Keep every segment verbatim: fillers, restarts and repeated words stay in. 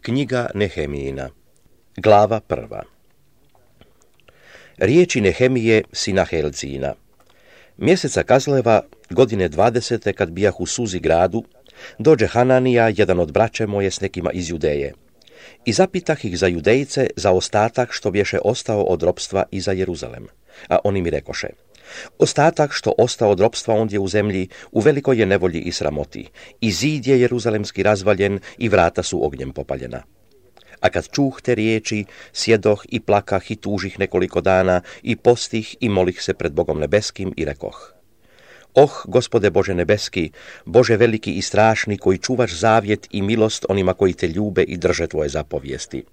Knjiga Nehemijina, glava prva. Riječi Nehemije, sina Helcina. Mjeseca Kazleva, godine dvadesete, kad bijah u Suzi gradu, dođe Hananija, jedan od braće moje, s nekima iz Judeje. I zapitah ih za Judejce, za ostatak što bješe ostao od ropstva i za Jeruzalem. A oni mi rekoše: ostatak što ostao od ropstva ondje u zemlji, u velikoj je nevolji i sramoti, i zid je jeruzalemski razvaljen i vrata su ognjem popaljena. A kad čuh te riječi, sjedoh i plakah i tužih nekoliko dana i postih i molih se pred Bogom nebeskim i rekoh: oh, Gospode Bože nebeski, Bože veliki i strašni, koji čuvaš zavjet i milost onima koji te ljube i drže tvoje zapovijesti.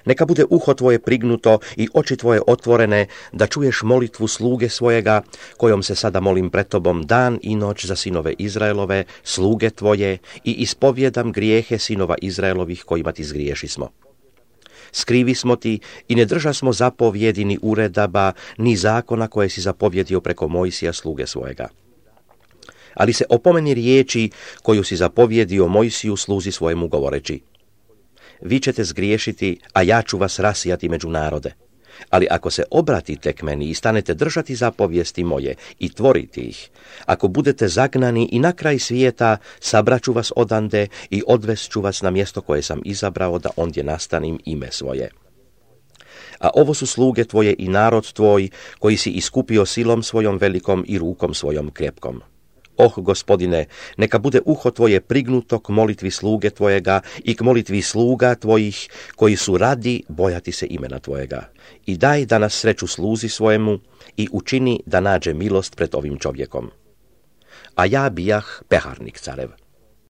Neka bude uho tvoje prignuto i oči tvoje otvorene, da čuješ molitvu sluge svojega, kojom se sada molim pred tobom dan i noć za sinove Izraelove, sluge tvoje, i ispovjedam grijehe sinova Izraelovih kojima ti zgriješismo. Skrivi smo ti i ne drža smo zapovjedi ni uredaba, ni zakona koje si zapovjedio preko Mojsija sluge svojega. Ali se opomeni riječi koju si zapovjedio Mojsiju sluzi svojemu govoreći: vi ćete zgriješiti, a ja ću vas rasijati među narode. Ali ako se obratite k meni i stanete držati zapovijesti moje i tvoriti ih, ako budete zagnani i na kraj svijeta, sabraću vas odande i odvest vas na mjesto koje sam izabrao da ondje nastanim ime svoje. A ovo su sluge tvoje i narod tvoj, koji si iskupio silom svojom velikom i rukom svojom krepkom. Oh, Gospodine, neka bude uho tvoje prignuto k molitvi sluge tvojega i k molitvi sluga tvojih, koji su radi bojati se imena tvojega. I daj da nas sreću sluzi svojemu i učini da nađe milost pred ovim čovjekom. A ja bijah peharnik carev.